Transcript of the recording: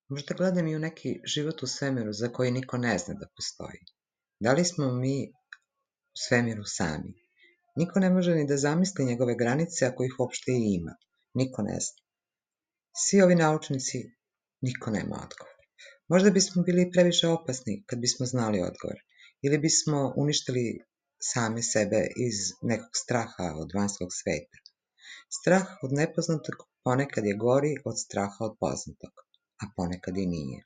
Možda gledam i u neki život u svemiru za koji niko ne zna da postoji. Da li smo mi u svemiru sami? Niko ne može ni da zamisli njegove granice ako ih uopšte i ima. Niko ne zna. Svi ovi naučnici, niko nema odgovor. Možda bismo bili previše opasni kad bismo znali odgovor. Ili bismo uništili same sebe iz nekog straha od vanjskog sveta. Strah od nepoznatog ponekad je gori od straha od poznatog, a ponekad i nije.